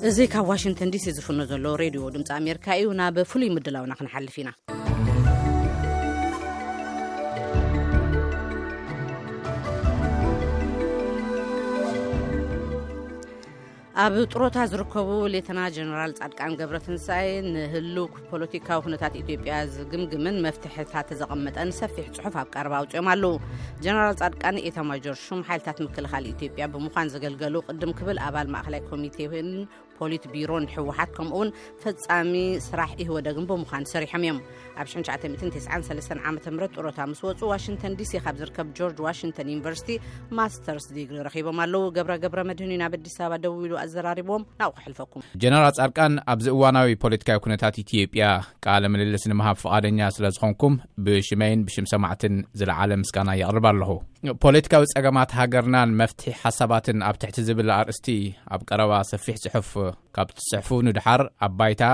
እዚ ካብ ዋሽንግተን ዲሲ ዝፍኖ ዘሎ ሬድዮ ድምፂ ኣሜሪካ እዩ። ናብ ፍሉይ ምድላውና ክንሓልፍ ኢና። ኣብ ጥሮታ ዝርከቡ ሌተና ጀነራል ጻድቃን ገብረትንሳኤ ንህልው ፖለቲካዊ ኩነታት ኢትዮጵያ ዝግምግምን መፍትሕታት ዘቐመጠን ሰፊሕ ጽሑፍ ኣብ ቀረባ ኣውጺኦም ኣለዉ። ጀነራል ጻድቃን ኤታማጆር ሹም ሓይልታት ምክልኻል ኢትዮጵያ ብምዃን ዘገልገሉ፣ ቅድም ክብል ኣባል ማእኸላይ ኮሚቴን ፖሊት ቢሮን ህወሓት፣ ከምኡውን ፈጻሚ ስራሕ ኢህወደግን ብምዃን ሰሪሖም እዮም። ኣብ ሽሕን ትሽዓተ ሚእትን ተስዓን ሰለስተን ዓመተ ምህረት ጥሮታ ምስ ወጹ፣ ዋሽንግተን ዲሲ ካብ ዝርከብ ጆርጅ ዋሽንግተን ዩኒቨርሲቲ ማስተርስ ዲግሪ ረኺቦም ኣለዉ። ገብረ ገብረ መድህን እዩ ናብ ኣዲስ ኣበባ ደዊሉ ኣዘራሪቦም። ናብኡ ክሕልፈኩም። ጀነራል ጻድቃን ኣብዚ እዋናዊ ፖለቲካዊ ኩነታት ኢትዮጵያ ቃለ ምልልስ ንምሃብ ፍቓደኛ ስለ ዝኾንኩም፣ ብሽመይን ብሽም ሰማዕትን ዝለዓለ ምስጋና የቕርብ ኣለኹ። ፖለቲካዊ ጸገማት ሃገርናን መፍትሒ ሓሳባትን ኣብ ትሕቲ ዝብል ኣርእስቲ ኣብ ቀረባ ሰፊሕ ጽሑፍ ካብ ትጽሕፉ ንድሓር፣ ኣብ ባይታ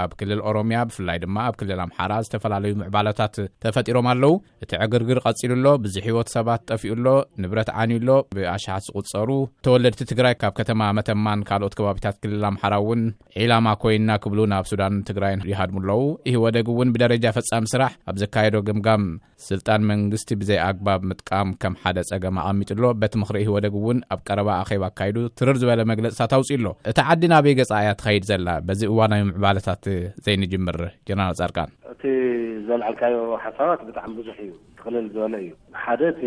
ኣብ ክልል ኦሮምያ፣ ብፍላይ ድማ ኣብ ክልል ኣምሓራ፣ ዝተፈላለዩ ምዕባለታት ተፈጢሮም ኣለዉ። እቲ ዕግርግር ቀጺሉ ኣሎ። ብዙሕ ህይወት ሰባት ጠፊኡ ኣሎ። ንብረት ዓንዩ ኣሎ። ብኣሽሓት ዝቑጸሩ ተወለድቲ ትግራይ ካብ ከተማ መተማን ካልኦት ከባቢታት ክልል ኣምሓራ እውን ዒላማ ኮይና ክብሉ ናብ ሱዳን ትግራይን ይሃድሙ ኣለዉ። ኢህወደግ እውን ብደረጃ ፈጻሚ ስራሕ ኣብ ዘካየዶ ገምጋም፣ ስልጣን መንግስቲ ብዘይ ኣግባብ ምጥቃም ከም ሓደ ጸገም ኣቐሚጡ ኣሎ። በቲ ምኽሪ ኢህወደግ እውን ኣብ ቀረባ ኣኼባ ኣካይዱ ትርር ዝበለ መግለጽታት ኣውጺኡ ኣሎ። እታ ዓዲ ናበይ ገጻ እያ ትኸይድ ዘላ? በዚ እዋናዊ ምዕባለታት ዘይንጅምር፣ ጀነራል ጻድቃን። እቲ ዘልዓልካዮ ሓሳባት ብጣዕሚ ብዙሕ እዩ፣ ጥቕልል ዝበለ እዩ። ሓደ፣ እቲ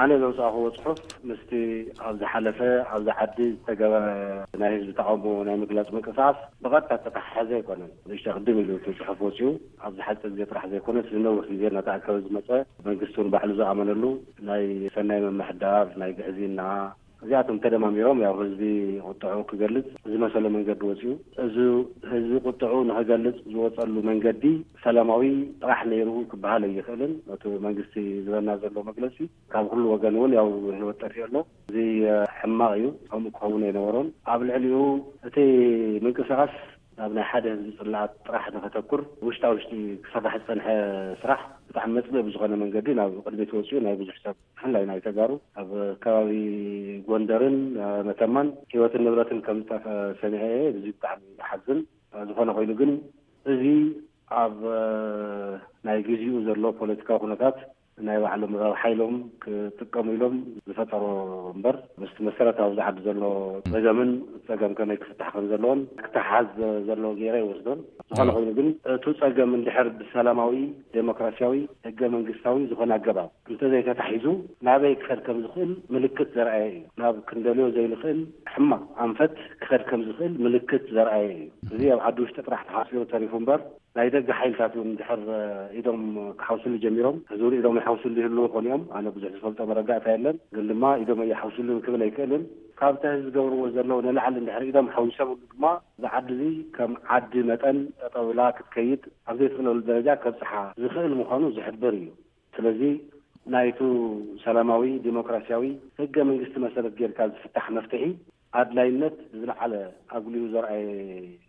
ኣነ ዘውጻእኽዎ ጽሑፍ ምስቲ ኣብ ዝሓለፈ ኣብዚ ዓዲ ዝተገበረ ናይ ህዝቢ ተቓውሞ ናይ ምግላጽ ምንቅስቓስ ብቐጥታ ዝተተሓሓዘ ኣይኮነን። ንእሽቶ ቅድም ኢሉ እቲ ጽሑፍ ወጺኡ፣ ኣብዚ ሓጺር ግዜ ጥራሕ ዘይኮነስ፣ ንነዊሕ ግዜ እናተኣከበ ዝመጸ፣ መንግስቲ እውን ባዕሉ ዝኣመነሉ ናይ ሰናይ ምምሕዳር፣ ናይ ግዕዝይና፣ እዚኣቶም ተደማሚሮም፣ ያው፣ ህዝቢ ቁጥዑ ክገልጽ ዝመሰሎ መንገዲ ወጺኡ። እዚ ህዝቢ ቁጥዑ ንኽገልጽ ዝወጸሉ መንገዲ ሰላማዊ ጥራሕ ነይሩ ክበሃል ኣይኽእልን። እቲ መንግስቲ ዝህበና ዘሎ መግለጺ ካብ ኩሉ ወገን እውን፣ ያው፣ ህይወት ጠፊኡ ኣሎ። እዚ፣ እ፣ ሕማቕ እዩ። ከምኡ ክኸውን ኣይነበሮን። ኣብ ልዕሊኡ እቲ ምንቅስቓስ ናብ ናይ ሓደ ህዝቢ ጽላኣት ጥራሕ ንኸተኩር፣ ውሽጣ ውሽጢ ክስራሕ ዝጸንሐ ስራሕ ብጣዕሚ መጽልኢ ብዝኾነ መንገዲ ናብ ቅድሚት ወጺኡ፣ ናይ ብዙሕ ሰብ፣ ብፍላይ ናይ ተጋሩ፣ ኣብ ከባቢ ጎንደርን፣ እ፣ መተማን ህይወትን ንብረትን ከም ዝጠፍአ ሰሚዐ እየ። እዚ ብጣዕሚ ይሓዝን። እ፣ ዝኾነ ኮይኑ ግን፣ እዚ ኣብ፣ እ፣ ናይ ግዚኡ ዘሎ ፖለቲካዊ ኩነታት ናይ ባዕሎም ረብሓ ኢሎም ክጥቀሙ ኢሎም ዝፈጠሮ እምበር፣ ምስቲ መሰረታዊ ኣብዚ ዓዲ ዘሎ ጸገምን ጸገም ከመይ ክፍታሕ ከም ዘለዎን ክተሓዝ ዘለዎ ገይረ ይወስዶን። ዝኾነ እዎ። ኮይኑ ግን፣ እቱ ጸገም እንድሕር ብሰላማዊ፣ ዴሞክራሲያዊ፣ ህገ መንግስታዊ ዝኾነ ኣገባብ እንተዘይተታሒዙ፣ ናበይ ክኸድ ከም ዝኽእል ምልክት ዘርኣየ እዩ። ናብ ክንደልዮ ዘይንኽእል ሕማቕ ኣንፈት ክኸድ ከም ዝኽእል ምልክት ዘርኣየ እዩ። እዚ ኣብ ዓዲ ውሽጢ ጥራሕ ተሓሲሩ ተሪፉ እምበር፣ ናይ ደገ ሓይልታት እውን እንድሕር፣ እ፣ ኢዶም ክሓውስሉ ጀሚሮም፣ ሕዚ እውን ኢዶም ይሓውስሉ ይህልዉ ይኾኑ እዮም። ኣነ ብዙሕ ዝፈልጦ መረዳእታ የለን፣ ግን ድማ ኢዶም ኣይሓውስሉን ክብል ኣይክእልን። ካብቲ ሕዚ ዝገብርዎ ዘለዉ ንላዕሊ እንድሕር ኢዶም ሓዊሶምሉ ድማ፣ እዚ ዓዲ እዚ ከም ዓዲ መጠን ጠጠው ኢላ ክትከይድ ኣብ ዘይትኽእለሉ ደረጃ ከብጽሓ ዝኽእል ምዃኑ ዝሕብር እዩ። ስለዚ ናይቱ ሰላማዊ፣ ዲሞክራሲያዊ፣ ህገ መንግስቲ መሰረት ጌርካ ዝፍታሕ መፍትሒ ኣድላይነት ብዝለዓለ ኣጉሊሁ ዘርኣየ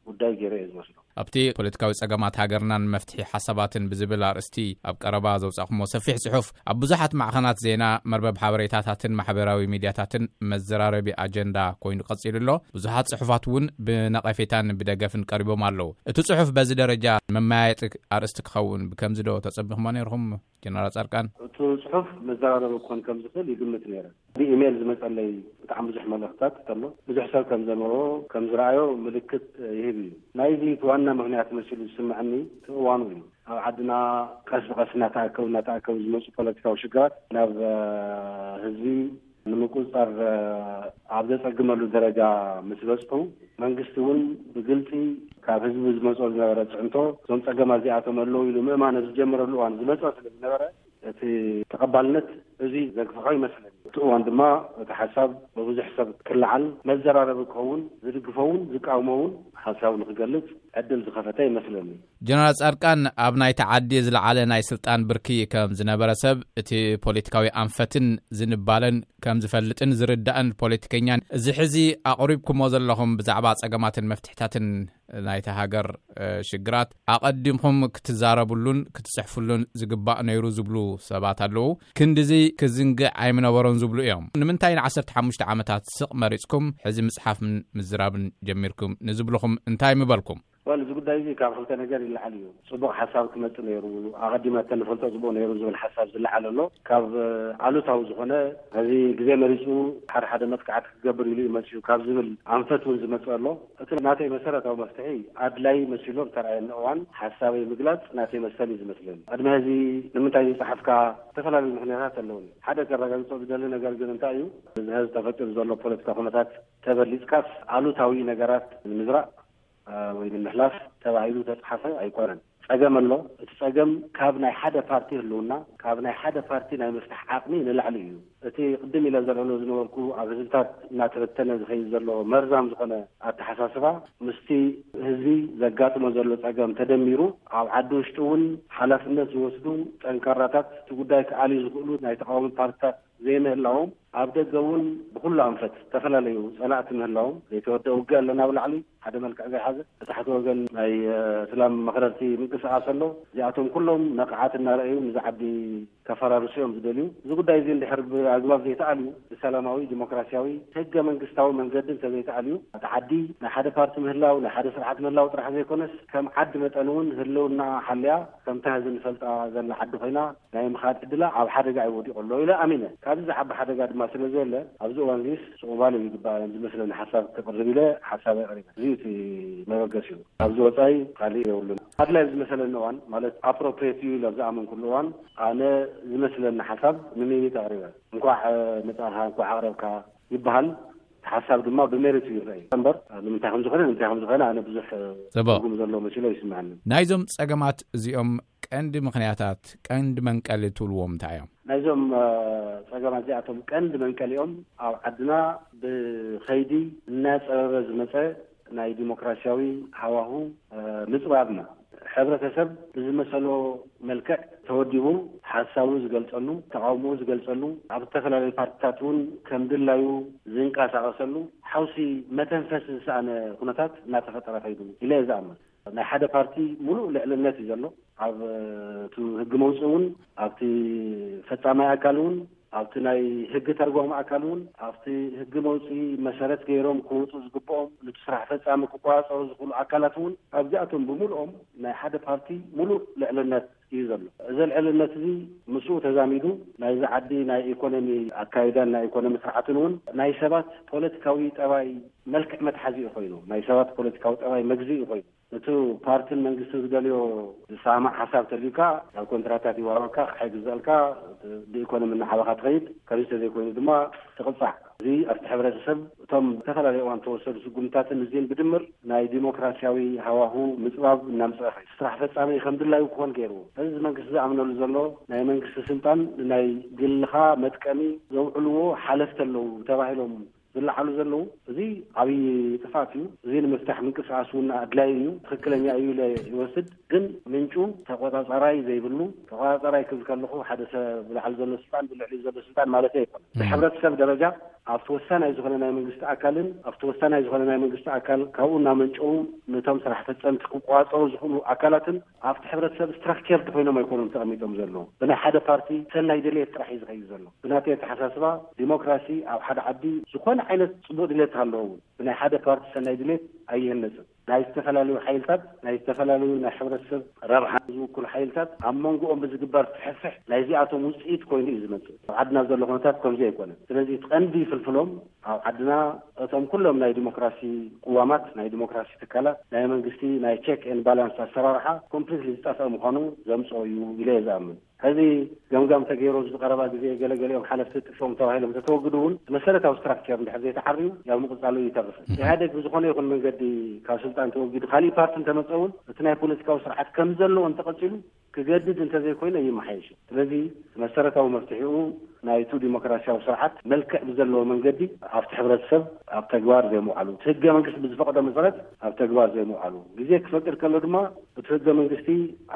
ጉዳይ ገይረ እየ ዝወስዶ። ኣብቲ ፖለቲካዊ ጸገማት ሃገርናን መፍትሒ ሓሳባትን ብዝብል ኣርእስቲ ኣብ ቀረባ ዘውጻእኩሞ ሰፊሕ ጽሑፍ፣ ኣብ ብዙሓት ማዕኸናት ዜና፣ መርበብ ሓበሬታታትን ማሕበራዊ ሚድያታትን መዘራረቢ ኣጀንዳ ኮይኑ ቀጺሉ ኣሎ። ብዙሓት ጽሑፋት እውን ብነቐፌታን ብደገፍን ቀሪቦም ኣለዉ። እቲ ጽሑፍ በዚ ደረጃ መመያየጢ ኣርእስቲ ክኸውን ብከምዚ ዶ ተጸቢኹሞ ነይርኹም? ጀነራል ጻድቃን? እቲ ጽሑፍ መዘራረቢ ክኾን ከም ዝኽእል ይግምት ነይረ። ብኢሜይል ዝመጸለይ ብጣዕሚ ብዙሕ መልእኽትታት ኣሎ። ብዙሕ ሰብ ከም ዘንበቦ፣ ከም ዝረኣዮ ምልክት ይህብ እዩ። ናይዚ እቲ ዋና ምኽንያት መሲሉ ዝስምዐኒ እቲ እዋኑ እዩ። ኣብ ዓድና ቀስ ብቐስ እናተኣከቡ፣ እናተኣከቡ ዝመጹ ፖለቲካዊ ሽግራት ናብ፣ እ፣ ህዝቢ ንምቁጽጻር፣ እ፣ ኣብ ዘጸግመሉ ደረጃ ምስ በጽሑ፣ መንግስቲ እውን ብግልጺ ካብ ህዝቢ ዝመጾ ዝነበረ ጽዕንቶ፣ እዞም ጸገማት እዚኣቶም ኣለዉ ኢሉ ምእማን ኣብ ዝጀመረሉ እዋን ዝመጸ ስለ ዝነበረ፣ እቲ ተቐባልነት እዚ ዘግፍሖ ይመስለኒ። እቲ እዋን ድማ እቲ ሓሳብ ብብዙሕ ሰብ ክለዓል፣ መዘራረቢ ክኸውን፣ ዝድግፎ እውን ዝቃወሞ እውን ሓሳቡ ንክገልጽ ዕድል ዝኸፈተ ይመስለኒ። ጀነራል ጻድቃን ኣብ ናይቲ ዓዲ ዝለዓለ ናይ ስልጣን ብርኪ ከም ዝነበረ ሰብ፣ እቲ ፖለቲካዊ ኣንፈትን ዝንባለን ከም ዝፈልጥን ዝርዳእን ፖለቲከኛን፣ እዚ ሕዚ ኣቕሪብኩሞ ዘለኹም ብዛዕባ ጸገማትን መፍትሕታትን ናይታ ሃገር፣ እ፣ ሽግራት ኣቐዲምኩም ክትዛረቡሉን ክትጽሕፉሉን ዝግባእ ነይሩ ዝብሉ ሰባት ኣለዉ። ክንድዚ ክዝንግዕ ኣይምነበሮን። ዝብሉ እዮም። ንምንታይ ንዓሰርተ ሓሙሽተ ዓመታት ስቕ መሪጽኩም ሕዚ ምጽሓፍን ምዝራብን ጀሚርኩም ንዝብልኹም እንታይ ምበልኩም? ዋል፣ እዚ ጉዳይ እዚ ካብ ክልተ ነገር ይለዓል እዩ። ጽቡቕ ሓሳብ ክመጽእ ነይሩ፣ ኣቐዲምና እንፈልጦ ጽቡቕ ነይሩ ዝብል ሓሳብ ዝለዓል ኣሎ። ካብ ኣሉታዊ ዝኾነ፣ ሕዚ ግዜ መሪጹ ሓደ ሓደ መጥቃዕቲ ክገብር ኢሉ እዩ መጺኡ ካብ ዝብል ኣንፈት እውን ዝመጽእ ኣሎ። እቲ ናተይ መሰረታዊ መፍትሒ ኣድላይ መሲሉ ዝተረኣየኒ እዋን ሓሳበይ ምግላጽ ናተይ መሰል እዩ ዝመስለኒ። ቅድሚ ሕዚ ንምንታይ ዝጸሓፍካ ዝተፈላለዩ ምኽንያታት ኣለውኒ። ሓደ ከረጋግጾ ዝደሊ ነገር ግን እንታይ እዩ፣ እዚ ሕዚ ተፈጢሩ ዘሎ ፖለቲካ ኩነታት ተበሊጽካስ ኣሉታዊ ነገራት ንምዝራእ ወይ ንምሕላፍ ተባሂሉ ተጻሓፈ ኣይኮነን። ጸገም ኣሎ። እቲ ጸገም ካብ ናይ ሓደ ፓርቲ ህልውና፣ ካብ ናይ ሓደ ፓርቲ ናይ ምፍታሕ ዓቕሚ ንላዕሊ እዩ። እቲ ቅድም ኢለ ዘልዕሎ ዝነበርኩ ኣብ ህዝብታት እናተበተነ ዝኸይድ ዘሎ መርዛም ዝኾነ ኣተሓሳስባ ምስቲ ህዝቢ ዘጋጥሞ ዘሎ ጸገም ተደሚሩ ኣብ ዓዲ ውሽጢ እውን ሓላፍነት ዝወስዱ ጠንካራታት እቲ ጉዳይ ክኣልዩ ዝኽእሉ ናይ ተቃዋሚ ፓርቲታት ዘይምህላዎም ኣብ ደገ እውን ብኩሉ ኣንፈት ዝተፈላለዩ ጸላእቲ ምህላዎም ዘይተወደአ ውግእ ኣለና ብላዕሊ ሓደ መልክዕ ዘይሓዘ ብታሕቲ ወገን ናይ እስላም መኽረርቲ ምንቅስቃስ ኣሎ። እዚኣቶም ኩሎም ነቕዓት እናረኣዩ ንዚ ዓዲ ከፈራርሱ እዮም ዝደልዩ። እዚ ጉዳይ እዚ እንድሕር ብኣግባብ ዘይተኣልዩ ብሰላማዊ ዲሞክራሲያዊ ሕገ መንግስታዊ መንገዲ እንተዘይተኣልዩ እቲ ዓዲ ናይ ሓደ ፓርቲ ምህላው ናይ ሓደ ስርዓት ምህላው ጥራሕ ዘይኮነስ ከም ዓዲ መጠን እውን ህልውና ሓልያ ከምታ ሕዚ ንፈልጣ ዘላ ዓዲ ኮይና ናይ ምኻድ ዕድላ ኣብ ሓደጋ እዩ ወዲቑ ኣሎ ኢለ ኣሚነ። ካብዚ ዝዓቢ ሓደጋ ድማ ስለ ዘየለ ኣብዚ እዋን እዚስ ስቑማል እዩ ይግባእ ዝመስለኒ ሓሳብ ክቕርብ ኢለ ሓሳብ ኣቕሪበ። እዚ እቲ መበገሲኡ ኣብዚ ወፃኢ ካሊእ የብሉን። ኣድላይ ዝመሰለኒ እዋን ማለት ኣፕሮፕሬት እዩ ኢለ ኣብ ዝኣመንኩሉ እዋን ኣነ ዝመስለኒ ሓሳብ ንሚኒት ኣቕሪበ። እንኳዕ መፃእኻ እንኳዕ ኣቕረብካ ይበሃል። ሓሳብ ድማ ብሜሪት እዩ ይረኣይ እምበር ንምንታይ ከም ዝኾነ ንምንታይ ከም ዝኾነ ኣነ ብዙሕ ጽቡቕ። ትርጉም ዘለዎ መሲሎ ይስምዓኒ። ናይዞም ጸገማት እዚኦም ቀንዲ ምኽንያታት ቀንዲ መንቀሊ ትብልዎም እንታይ እዮም? ናይዞም ጸገማት እዚኣቶም ቀንዲ መንቀሊኦም ኣብ ዓድና ብኸይዲ እናጸበበ ዝመጸ ናይ ዲሞክራሲያዊ ሃዋሁ ምጽባብና ሕብረተሰብ ብዝመሰሎ መልክዕ ተወዲቡ ሓሳቡ ዝገልጸሉ ተቃውሞኡ ዝገልጸሉ ኣብ ዝተፈላለዩ ፓርቲታት እውን ከም ድላዩ ዝንቀሳቀሰሉ ሓውሲ መተንፈስ ዝሰኣነ ኩነታት እናተፈጠረ ከይዱ ኢለ እየ ዝኣምን። ናይ ሓደ ፓርቲ ሙሉእ ልዕልነት እዩ ዘሎ ኣብ እቲ ህጊ መውፅኢ እውን ኣብቲ ፈፃማይ ኣካል እውን ኣብቲ ናይ ህጊ ተርጓሚ ኣካል እውን ኣብቲ ህጊ መውፅኢ መሰረት ገይሮም ክወፁ ዝግብኦም ነቲ ስራሕ ፈፃሚ ክቆፃፀሩ ዝኽእሉ ኣካላት እውን ኣብዚኣቶም ብምሉኦም ናይ ሓደ ፓርቲ ሙሉእ ልዕልነት እዩ ዘሎ። እዚ ልዕልነት እዚ ምስኡ ተዛሚዱ ናይዚ ዓዲ ናይ ኢኮኖሚ ኣካይዳን ናይ ኢኮኖሚ ስርዓትን እውን ናይ ሰባት ፖለቲካዊ ጠባይ መልክዕ መትሓዚኡ ኮይኑ ናይ ሰባት ፖለቲካዊ ጠባይ መግዝኢ ኮይኑ እቲ ፓርትን መንግስትን ዝደልዮ ዝሰማማዕ ሓሳብ ተልዩካ ናብ ኮንትራታት ይዋሃበካ ኣቕሓ ይግዘኣልካ ብኢኮኖሚ እናዓበኻ ትኸይድ። ከምዚ ተዘይኮይኑ ድማ ትቕፃዕ። እዚ ኣብቲ ሕብረተሰብ እቶም ዝተፈላለዩ እዋን ተወሰዱ ስጉምታትን እዚን ብድምር ናይ ዲሞክራሲያዊ ሃዋሁ ምፅባብ እናምፅአ ከይዱ ስራሕ ፈፃሚ ከም ድላዩ ክኾን ገይርዎ። እዚ መንግስቲ ዝኣምነሉ ዘሎ ናይ መንግስቲ ስልጣን ንናይ ግልኻ መጥቀሚ ዘውዕልዎ ሓለፍቲ ኣለዉ ተባሂሎም ዝለዓሉ ዘለዉ እዚ ዓብዪ ጥፍኣት እዩ። እዚ ንምፍታሕ ምንቅስቃስ እውን ኣድላይ እዩ፣ ትክክለኛ እዩ ኢለ ይወስድ። ግን ምንጩ ተቆፃፃራይ ዘይብሉ ተቆፃፃራይ ክብል ከለኹ ሓደ ሰብ ብላዕሊ ዘሎ ስልጣን ብልዕሊ ዘሎ ስልጣን ማለት ኣይኮነ። ብሕብረተሰብ ደረጃ ኣብቲ ወሳናይ ዝኾነ ናይ መንግስቲ ኣካልን ኣብቲ ወሳናይ ዝኾነ ናይ መንግስቲ ኣካል ካብኡ እናመንጨው ነቶም ስራሕ ፈፀምቲ ክቆፃፀሩ ዝኽእሉ ኣካላትን ኣብቲ ሕብረተሰብ ስትራክቸርድ ኮይኖም ኣይኮኑም ተቐሚጦም ዘለዉ። ብናይ ሓደ ፓርቲ ሰናይ ድሌት ጥራሕ እዩ ዝኸይድ ዘሎ። ብናተይ ኣተሓሳስባ ዲሞክራሲ ኣብ ሓደ ዓዲ ዝኾነ ዓይነት ፅቡቕ ድሌት ሃለዎ እውን ብናይ ሓደ ፓርቲ ሰናይ ድሌት ኣይህነፅን። ናይ ዝተፈላለዩ ሓይልታት ናይ ዝተፈላለዩ ናይ ሕብረተሰብ ረብሓ ዝውክሉ ሓይልታት ኣብ መንጎኦም ብዝግበር ፍሕፍሕ ናይዚኣቶም ውፅኢት ኮይኑ እዩ ዝመፅእ። ኣብ ዓድና ዘሎ ኩነታት ከምዚ ኣይኮነን። ስለዚ እቲ ቀንዲ ፍልፍሎም ኣብ ዓድና እቶም ኩሎም ናይ ዲሞክራሲ ቅዋማት ናይ ዲሞክራሲ ትካላት ናይ መንግስቲ ናይ ቸክ ኤን ባላንስ ኣሰራርሓ ኮምፕሊትሊ ዝጠፍአ ምዃኑ ዘምፅኦ እዩ ኢለ እየ ዝኣምን። ሕዚ ገምጋም ተገይሩ ዝቀረባ ግዜ ገለገሊኦም ሓለፍቲ ጥፎም ተባሂሎም ተተወግዱ እውን መሰረታዊ ስትራክቸር እንድሕር ዘይተዓርዩ ያው ምቕፃሉ ይተርፍ። ኢህኣደግ ብዝኾነ ይኹን መንገዲ ካብ ስልጣን ተወጊዱ ካሊእ ፓርቲ እንተመፀ እውን እቲ ናይ ፖለቲካዊ ስርዓት ከም ዘለዎ እንተቐፂሉ ክገድድ እንተዘይኮይነ ይመሓየሽ። ስለዚ መሰረታዊ መፍትሒኡ ናይቱ ዲሞክራሲያዊ ስርዓት መልክዕ ብዘለዎ መንገዲ ኣብቲ ሕብረተሰብ ኣብ ተግባር ዘይምውዓሉ፣ እቲ ህገ መንግስቲ ብዝፈቕዶ መሰረት ኣብ ተግባር ዘይምውዓሉ፣ ግዜ ክፈቅድ ከሎ ድማ እቲ ህገ መንግስቲ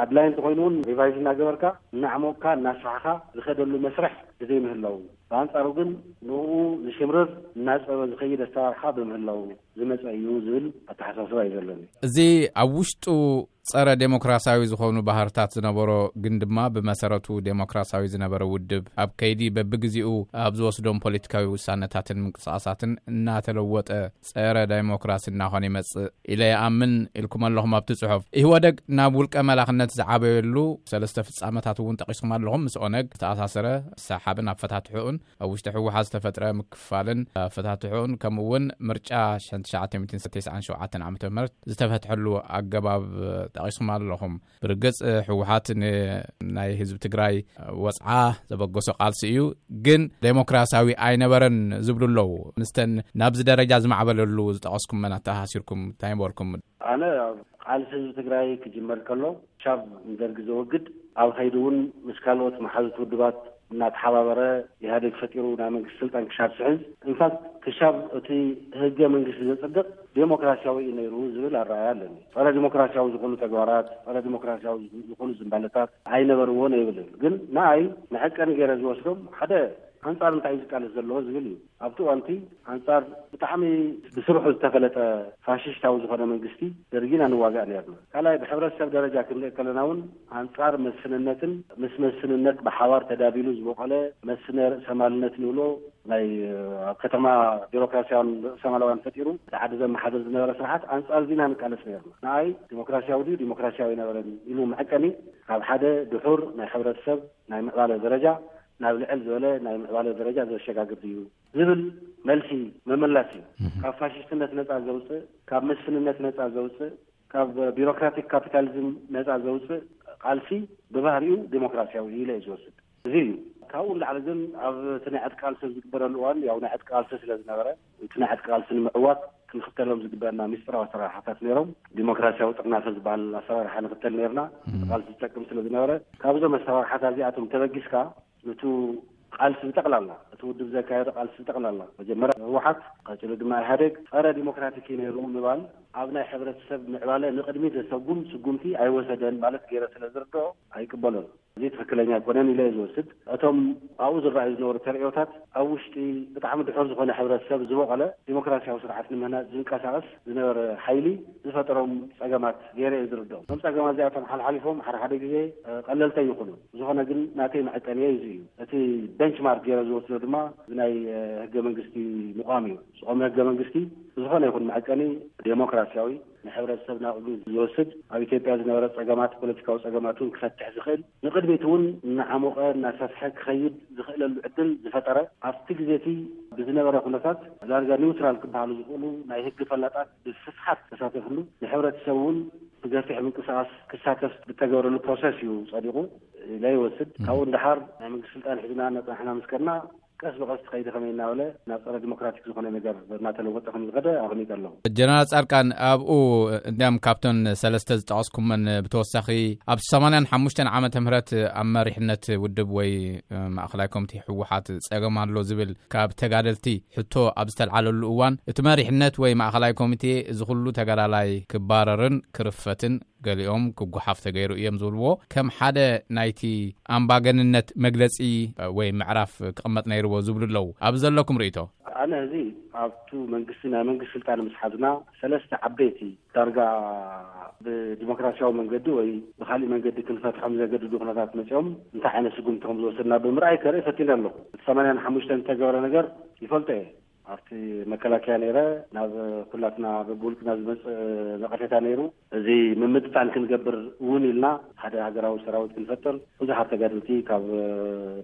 ኣድላይ እንተኾይኑ እውን ሪቫይዝ እናገበርካ እናዕሞቕካ እናስፋሕኻ ዝኸደሉ መስርሕ ብዘይምህላው፣ ብኣንፃሩ ግን ንኡ ዝሽምርር እናፀበ ዝኸይድ ኣሰራርሓ ብምህላው፣ ዝመጸ እዩ ዝብል ኣተሓሳስባ እዩ ዘለኒ። እዚ ኣብ ውሽጡ ጸረ ዴሞክራሲያዊ ዝኾኑ ባህርታት ዝነበሮ ግን ድማ ብመሰረቱ ዴሞክራሲያዊ ዝነበረ ውድብ ኣብ ከይዲ በብግዜኡ ኣብ ዝወስዶም ፖለቲካዊ ውሳነታትን ምንቅስቃሳትን እናተለወጠ ጸረ ዴሞክራሲ እናኾነ ይመጽእ ኢለ ይኣምን ኢልኩም ኣለኹም ኣብቲ ጽሑፍ። ኢህወደግ ናብ ውልቀ መላኽነት ዝዓበየሉ ሰለስተ ፍጻመታት እውን ጠቂስኩም ኣለኹም። ምስ ኦነግ ዝተኣሳሰረ ሰሓብን ኣፈታትሑን ኣብ ውሽጢ ህወሓት ዝተፈጥረ ምክፋልን ኣፈታትሑን ከምኡ እውን ምርጫ ሽሕን ትሽዓተ ሚእትን ተስዓን ሸውዓተን ዓመተ ምህረት ዝተፈትሐሉ ኣገባብ ጠቒስኩም ኣለኹም። ብርግጽ ህወሓት ን-፣ ናይ ህዝቢ ትግራይ ወጽዓ ዘበገሶ ቃልሲ እዩ፣ ግን ዴሞክራሲያዊ ኣይነበረን ዝብሉ ኣለዉ። ምስተን ናብዚ ደረጃ ዝማዕበለሉ ዝጠቐስኩም መን ኣተኣሳሲርኩም እንታይ በልኩም? ኣነ ኣብ ቃልሲ ህዝቢ ትግራይ ክጅመር ከሎ ክሻብ ንደርጊ ዘወግድ ኣብ ኸይዲ እውን ምስ ካልኦት መሓዙት ውድባት እናተሓባበረ ኢህኣዴግ ፈጢሩ ናይ መንግስቲ ስልጣን ክሻብ ስሕዝ፣ ኢንፋክት ክሻብ እቲ ህገ መንግስቲ ዘፅድቕ ዴሞክራሲያዊ እዩ ነይሩ ዝብል ኣረኣያ ኣለኒ። ጸረ ዴሞክራሲያዊ ዝኾኑ ተግባራት፣ ጸረ ዴሞክራሲያዊ ዝኾኑ ዝንባለታት ኣይነበርዎን ኣይብልን። ግን ንኣይ መዐቀኒ ገይረ ዝወስዶም ሓደ ኣንጻር እንታይ እዩ ዝቃለስ ዘለዎ ዝብል እዩ። ኣብቲ እዋንቲ ኣንጻር ብጣዕሚ ብስርሑ ዝተፈለጠ ፋሽስታዊ ዝኾነ መንግስቲ ደርጊ ኢና ንዋጋእ ነርና። ካልኣይ ብሕብረተሰብ ደረጃ ክንርኢ ከለና እውን ኣንጻር መስፍንነትን ምስ መስፍንነት ብሓባር ተዳቢሉ ዝበቆለ መስፍነ ርእሰማልነት ንብሎ ናይ ኣብ ከተማ ቢሮክራሲያውን ርእሰማላውያን ፈጢሩ እቲ ዓዲ ዘመሓደር ዝነበረ ስርዓት ኣንጻር ዚና ንቃለስ ነርና። ንኣይ ዲሞክራሲያዊ ድዩ ዲሞክራሲያዊ ነበረን ኢሉ መዐቀኒ ካብ ሓደ ድሑር ናይ ሕብረተሰብ ናይ ምዕባለ ደረጃ ናብ ልዕል ዝበለ ናይ ምዕባለ ደረጃ ዘሸጋግር ድዩ ዝብል መልሲ መመላስ እዩ። ካብ ፋሽስትነት ነጻ ዘውፅእ፣ ካብ መስፍንነት ነጻ ዘውፅእ፣ ካብ ቢሮክራቲክ ካፒታሊዝም ነጻ ዘውፅእ ቃልሲ ብባህሪኡ ዲሞክራሲያዊ ኢለ እዩ ዝወስድ። እዚ እዩ። ካብኡ ንላዕሊ ግን ኣብ እቲ ናይ ዕጥቂ ቃልሲ ኣብ ዝግበረሉ እዋን ያው ናይ ዕጥቂ ቃልሲ ስለ ዝነበረ እቲ ናይ ዕጥቂ ቃልሲ ንምዕዋት ክንኽተሎም ዝግበአና ሚስጥራዊ ኣሰራርሓታት ነይሮም። ዲሞክራሲያዊ ጥርናፈ ዝበሃል ኣሰራርሓ ንኽተል ነይርና። ቃልሲ ዝጠቅም ስለ ዝነበረ ካብዞም ኣሰራርሓታት እዚኣቶም ተበጊስካ ነቱ ቃልሲ ብጠቕላላ እቲ ውድብ ዘካየዶ ቃልሲ ብጠቕላላ መጀመርያ ህወሓት ቀፂሉ ድማ ኢህኣዴግ ጸረ ዲሞክራቲክ እዩ ነይሩ ምባል ኣብ ናይ ሕብረተሰብ ምዕባለ ንቕድሚት ዘሰጉም ስጉምቲ ኣይወሰደን ማለት ገይረ ስለ ዝርድኦ ኣይቅበሎን። እዚ ትኽክለኛ ኣይኮነን ኢለ እየ ዝወስድ። እቶም ኣብኡ ዝረኣዩ ዝነበሩ ተርእዮታት ኣብ ውሽጢ ብጣዕሚ ድሑር ዝኾነ ሕብረተሰብ ዝበቐለ ዲሞክራሲያዊ ስርዓት ንምህናፅ ዝንቀሳቐስ ዝነበረ ሓይሊ ዝፈጠሮም ጸገማት ገይረ እየ ዝርድኦም። እቶም ጸገማት እዚኣቶም ሓልሓሊፎም ሓደ ሓደ ግዜ ቀለልቲ ይኹኑ። ዝኾነ ግን ናተይ መዐቀንየ እዚ እዩ። እቲ ቤንችማርክ ገይረ ዝወስዶ ድማ ናይ ህገ መንግስቲ ምቋም እዩ። ዝቆመ ህገ መንግስቲ ብዝኾነ ይኹን መዐቀኒ ዴሞክራሲያዊ ንሕብረተሰብ ናብ ቅድሚ ዝወስድ ኣብ ኢትዮጵያ ዝነበረ ጸገማት ፖለቲካዊ ጸገማት እውን ክፈትሕ ዝኽእል ንቅድሚት እውን እናዓሞቐ እናሰፍሐ ክኸይድ ዝኽእለሉ ዕድል ዝፈጠረ ኣብቲ ግዜ እቲ ብዝነበረ ኩነታት ዳርጋ ኒውትራል ክበሃሉ ዝኽእሉ ናይ ህጊ ፈላጣት ብስፍሓት ተሳተፍሉ ንሕብረተሰብ እውን ብገፊሕ ምንቅስቃስ ክሳተፍ ብተገብረሉ ፕሮሰስ እዩ ጸዲቑ ኢለ ይወስድ። ካብኡ ንደሓር ናይ መንግስቲ ስልጣን ሒዝና እናጸናሕና ምስ ከድና ቀስ ብቐስ ትኸይዲ ከመይ እናበለ ናብ ጸረ ዲሞክራቲክ ዝኾነ ነገር እናተለወጠ ከም ዝኸደ ኣቐሚጠ ኣለኹ። ጀነራል ጻድቃን ኣብኡ እንዲያም ካብተን ሰለስተ ዝጠቐስኩመን ብተወሳኺ ኣብ ሰማንያን ሓሙሽተን ዓመተ ምህረት ኣብ መሪሕነት ውድብ ወይ ማእኸላይ ኮሚቴ ህወሓት ጸገም ኣሎ ዝብል ካብ ተጋደልቲ ሕቶ ኣብ ዝተልዓለሉ እዋን እቲ መሪሕነት ወይ ማእኸላይ ኮሚቴ እዚ ኩሉ ተጋዳላይ ክባረርን ክርፈትን ገሊኦም ክጓሓፍ ተገይሩ እዮም ዝብልዎ ከም ሓደ ናይቲ ኣምባገንነት መግለጺ ወይ ምዕራፍ ክቕመጥ ነይርዎ ዝብሉ ኣለዉ። ኣብዚ ዘለኩም ርእይቶ? ኣነ እዚ ኣብቱ መንግስቲ ናይ መንግስቲ ስልጣን ምስ ሓዝና ሰለስተ ዓበይቲ ዳርጋ ብዲሞክራሲያዊ መንገዲ ወይ ብካሊእ መንገዲ ክንፈትሖም ዘገድዱ ኩነታት መፂኦም እንታይ ዓይነት ስጉምቲ ከም ዝወሰድና ብምርኣይ ከርኢ ፈቲነ ኣለኹ። እቲ ሰማንያን ሓሙሽተን ዝተገበረ ነገር ይፈልጦ እየ። ኣብቲ መከላከያ ነይረ ናብ ኩላትና በብውልቅና ዝመፅእ ነቐፌታ ነይሩ። እዚ ምምጥጣን ክንገብር እውን ኢልና ሓደ ሃገራዊ ሰራዊት ክንፈጥር ብዙሓት ተጋደልቲ ካብ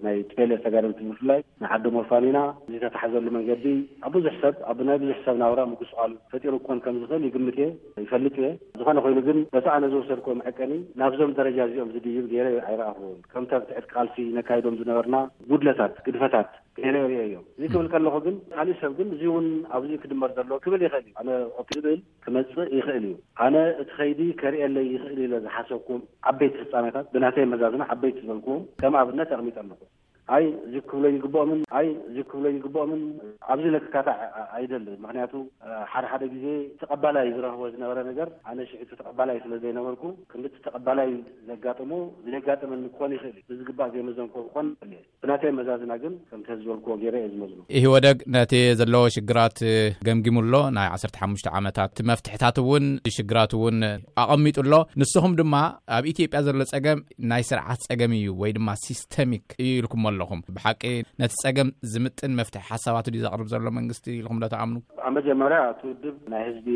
ናይ ቲ ፒ ኤል ኤፍ ተጋደልቲ ብፍላይ ንዓዶም ወፋኒና እዚ ተታሓዘሉ መንገዲ ኣብ ብዙሕ ሰብ ኣብ ናይ ብዙሕ ሰብ ናብራ ምጉስቋል ፈጢሩ ክኾን ከም ዝኽእል ይግምት እየ ይፈልጥ እየ። ዝኾነ ኮይኑ ግን በቲ ኣነ ዝወሰድኩዎ መዐቀኒ ናብዞም ደረጃ እዚኦም ዝድይብ ገይረ ኣይረኣኽዎን። ከምቲ ኣብቲ ዕጥቂ ቃልሲ ነካይዶም ዝነበርና ጉድለታት ግድፈታት ገይረ ይርእዮ እዮ። እዚ ክብል ከለኹ ግን ካሊእ ሰብ ግን እዚ እውን ኣብዚ ክድመር ዘለዎ ክብል ይኽእል እዩ። ኣነ ኦፕ ዝብል ክመፅእ ይኽእል እዩ። ኣነ እቲ ኸይዲ ከርእየለይ ይኽእል ኢለ ዝሓሰብኩም ዓበይቲ ፍፃሜታት ብናተይ መዛዝና ዓበይቲ ዝበልኩዎም ከም ኣብነት ኣቕሚጠ ኣለኹ። ኣይ እዚ ክብሎ ይግብኦምን ኣይ እዚ ክብሎ ይግብኦምን ኣብዚ ለክካታ ኣይደልን። ምክንያቱ ሓደ ሓደ ግዜ ተቐባላይ ዝረኽቦ ዝነበረ ነገር ኣነ ሽዕቱ ተቐባላይ ስለ ዘይነበርኩ ክንድቲ ተቐባላይ ዘጋጥሞ ዘጋጥመኒ ክኾን ይኽእል እዩ። ብዝግባእ ዘይመዘንኮ ክኾን ይኽእል እየ። ብናተይ መዛዝና ግን ከምቲ ዝበልክዎ ገይረ እየ ዝመዝኖ። ኢህወደግ ነቲ ዘለዎ ሽግራት ገምጊሙ ኣሎ። ናይ ዓሰርተ ሓሙሽተ ዓመታት መፍትሕታት እውን ሽግራት እውን ኣቐሚጡ ኣሎ። ንስኹም ድማ ኣብ ኢትዮጵያ ዘሎ ጸገም ናይ ስርዓት ጸገም እዩ ወይ ድማ ሲስተሚክ እዩ ኢልኩም ኣለኹም። ብሓቂ ነቲ ጸገም ዝምጥን መፍትሒ ሓሳባት ድዩ ዘቕርብ ዘሎ መንግስቲ ኢልኩም ዶ ትኣምኑ? ኣብ መጀመርያ እቲ ውድብ ናይ ህዝቢ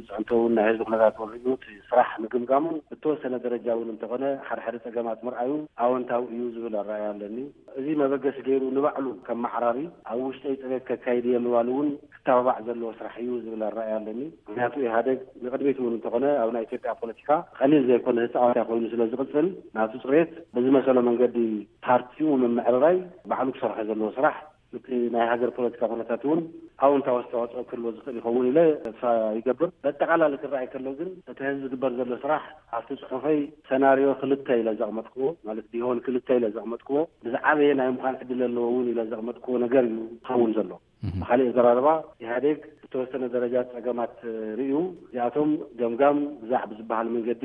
ፅዕንቶውን ናይ ህዝቢ ኩነታት ወሪዱ እቲ ስራሕ ምግምጋሙን ብተወሰነ ደረጃ እውን እንተኾነ ሓደ ሓደ ፀገማት ምርኣዩ ኣወንታዊ እዩ ዝብል ኣረኣያ ኣለኒ። እዚ መበገሲ ገይሩ ንባዕሉ ከም ማዕራሪ ኣብ ውሽጠይ ፅሬት ከካይድ እየ ምባሉ እውን ክተባባዕ ዘለዎ ስራሕ እዩ ዝብል ኣረኣያ ኣለኒ። ምክንያቱ ኢህኣደግ ንቅድሚት እውን እንተኾነ ኣብ ናይ ኢትዮጵያ ፖለቲካ ቀሊል ዘይኮነ ተፃዋታይ ኮይኑ ስለ ዝቅፅል ናቱ ፅሬት ብዝመሰሎ መንገዲ ፓርቲኡ ምምዕርራይ ባዕሉ ክሰርሖ ዘለዎ ስራሕ እቲ ናይ ሃገር ፖለቲካ ኩነታት እውን ኣውንታዊ ኣስተዋፅኦ ክህልዎ ዝኽእል ይኸውን ኢለ ተስፋ ይገብር። በጠቓላሊ ክረኣይ ከሎ ግን እቲ ህዝቢ ዝግበር ዘሎ ስራሕ ኣብቲ ፅሑፈይ ሰናርዮ ክልተ ኢለ ዘቕመጥክዎ ማለት ቢሆን ክልተ ኢለ ዘቕመጥክዎ ብዝዓበየ ናይ ምዃን ዕድል ኣለዎ እውን ኢለ ዘቕመጥክዎ ነገር እዩ ዝኸውን ዘሎ። ብካሊእ ኣዘራርባ ኢህኣዴግ ዝተወሰነ ደረጃ ፀገማት ርእዩ እዚኣቶም ገምጋም ግዛዕ ብዝበሃል መንገዲ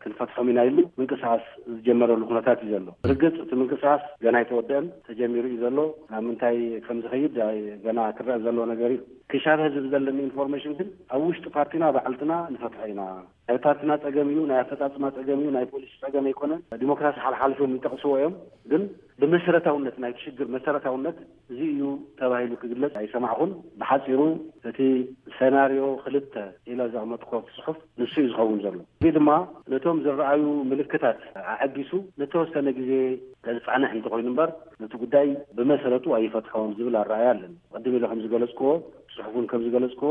ክንፈትሖም ኢና ኢሉ ምንቅስቃስ ዝጀመረሉ ኩነታት እዩ ዘሎ። ርግፅ እቲ ምንቅስቃስ ገና ኣይተወደአን፣ ተጀሚሩ እዩ ዘሎ። ናብ ምንታይ ከም ዝኸይድ ገና ክረአ ዘሎ ነገር እዩ። ክሻብ ህዝቢ ዘለኒ ኢንፎርሜሽን ግን ኣብ ውሽጢ ፓርቲና ባዕልትና ንፈትሖ ኢና። ናይ ፓርቲና ፀገም እዩ፣ ናይ ኣፈፃፅማ ፀገም እዩ፣ ናይ ፖሊሲ ፀገም ኣይኮነን። ዲሞክራሲ ሓልሓሊፎም ይጠቕስዎ እዮም። ግን ብመሰረታውነት ናይቲ ሽግር መሰረታውነት እዚ እዩ ተባሂሉ ክግለፅ ኣይሰማዕኹን። ብሓፂሩ እቲ ሰናርዮ ክልተ ኢለ ዘቕመጥኮ ጽሑፍ ንሱ እዩ ዝኸውን ዘሎ። እዚ ድማ ነቶም ዝረኣዩ ምልክታት ኣዐጊሱ ንተወሰነ ግዜ ዘጻንሕ እንተኾይኑ እምበር ነቲ ጉዳይ ብመሰረቱ ኣይፈትሖን ዝብል ኣረኣያ ኣለኒ። ቅድም ኢለ ከም ዝገለጽክዎ ጽሑፉን ከም ዝገለጽክዎ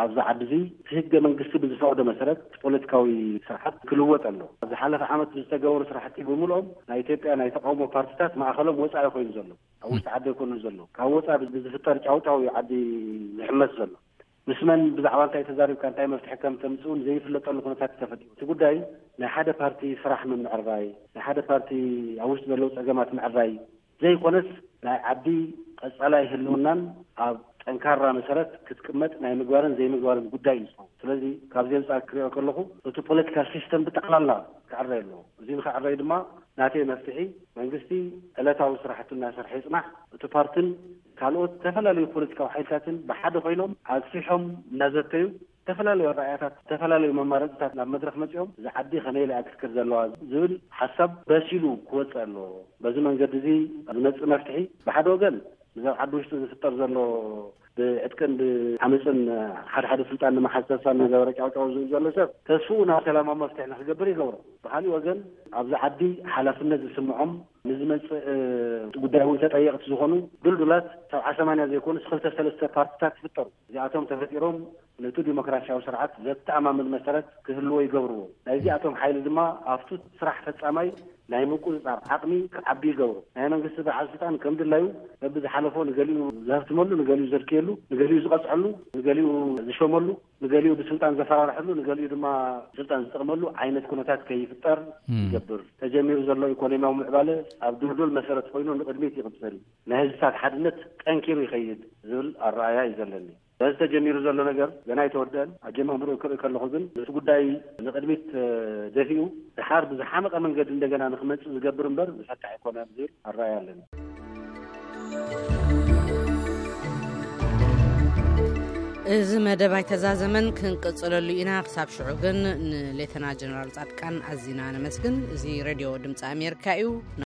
ኣብዚ ዓዲ እዚ እቲ ህገ መንግስቲ ብዝፈቕዶ መሰረት እቲ ፖለቲካዊ ስርዓት ክልወጥ ኣሎ። ኣብ ዝሓለፈ ዓመት ብዝተገበሩ ስራሕቲ ብምልኦም ናይ ኢትዮጵያ ናይ ተቃውሞ ፓርቲታት ማእኸሎም ወፃኢ ኮይኑ ዘሎ ኣብ ውሽጢ ዓዲ ኣይኮኑን ዘሎ ካብ ወፃኢ ብዝፍጠር ጫውጫው እዩ ዓዲ ዝሕመስ ዘሎ። ምስ መን ብዛዕባ እንታይ ተዛሪብካ እንታይ መፍትሒ ከም ተምፅእ እውን ዘይፍለጠሉ ኩነታት እዩ ተፈጢሩ። እቲ ጉዳይ ናይ ሓደ ፓርቲ ስራሕ ምምዕራይ ናይ ሓደ ፓርቲ ኣብ ውሽጢ ዘለዉ ፀገማት ምዕራይ ዘይኮነስ ናይ ዓዲ ቀፃላይ ህልውናን ኣብ ጠንካራ መሰረት ክትቅመጥ ናይ ምግባርን ዘይምግባርን ጉዳይ እዩ ዝኸውን። ስለዚ ካብዚ ኣንፃር ክሪኦ ከለኹ እቲ ፖለቲካል ሲስተም ብጠቕላላ ክዕረይ ኣለዎ። እዚ ንክዕረይ ድማ ናተይ መፍትሒ መንግስቲ ዕለታዊ ስራሕቱ እናሰርሐ ይፅናሕ። እቲ ፓርትን ካልኦት ዝተፈላለዩ ፖለቲካዊ ሓይልታትን ብሓደ ኮይኖም ኣግፊሖም እናዘተዩ ዝተፈላለዩ ኣረኣያታት ዝተፈላለዩ መማረፅታት ናብ መድረክ መፂኦም እዚ ዓዲ ከመይ ኢላ እያ ክትክድ ዘለዋ ዝብል ሓሳብ በሲሉ ክወፅእ ኣለዎ። በዚ መንገዲ እዚ ዝመፅእ መፍትሒ ብሓደ ወገን ብዛብ ዓዲ ውሽጢ ዝፍጠር ዘሎ ብዕጥቅን ብዓመፅን ሓደ ሓደ ስልጣን ንምሓዝ ተስፋ እናገበረ ጫውጫው ዝብል ዘሎ ሰብ ተስፍኡ ናብ ሰላማዊ መፍትሒ ንክገብር ይገብሮ። ብካሊእ ወገን ኣብዚ ዓዲ ሓላፍነት ዝስምዖም ንዝመፅእ ጉዳይ እውን ተጠየቕቲ ዝኾኑ ድልዱላት ሰብዓ ሰማንያ ዘይኮኑስ ክልተ ሰለስተ ፓርቲታት ይፍጠሩ። እዚኣቶም ተፈጢሮም ነቲ ዲሞክራሲያዊ ስርዓት ዘተኣማምን መሰረት ክህልዎ ይገብርዎ። ናይዚኣቶም ሓይሊ ድማ ኣብቱ ስራሕ ፈፃማይ ናይ ምቁፅፃር ዓቕሚ ክዓቢ ይገብሩ። ናይ መንግስቲ በዓል ስልጣን ከም ድላዩ በብዝሓለፎ ንገሊኡ ዘህፍትመሉ፣ ንገሊኡ ዘድክየሉ፣ ንገሊኡ ዝቐፅዐሉ፣ ንገሊኡ ዝሸመሉ፣ ንገሊኡ ብስልጣን ዘፈራርሐሉ፣ ንገሊኡ ድማ ስልጣን ዝጠቕመሉ ዓይነት ኩነታት ከይፍጠር ይገብር። ተጀሚሩ ዘሎ ኢኮኖሚያዊ ምዕባለ ኣብ ድልዱል መሰረት ኮይኑ ንቕድሚት ይቕፅል፣ ናይ ህዝብታት ሓድነት ጠንኪሩ ይኸይድ ዝብል ኣረኣያ እዩ ዘለኒ። በዚ ተጀሚሩ ዘሎ ነገር ገና ኣይተወደአን። ኣጀማምርኡ ክርኢ ከለኹ ግን ነቲ ጉዳይ ንቕድሚት ደፊኡ ድሓር ብዝሓመቐ መንገዲ እንደገና ንክመፅእ ዝገብር እምበር ዝፈትሕ ኣይኮነን ዝብል ኣረኣያ ኣለኒ። እዚ መደብ ኣይተዛዘመን፣ ክንቅጽለሉ ኢና። ክሳብ ሽዑ ግን ንሌተና ጀነራል ጻድቃን ኣዚና ነመስግን። እዚ ሬድዮ ድምፂ ኣሜሪካ እዩ።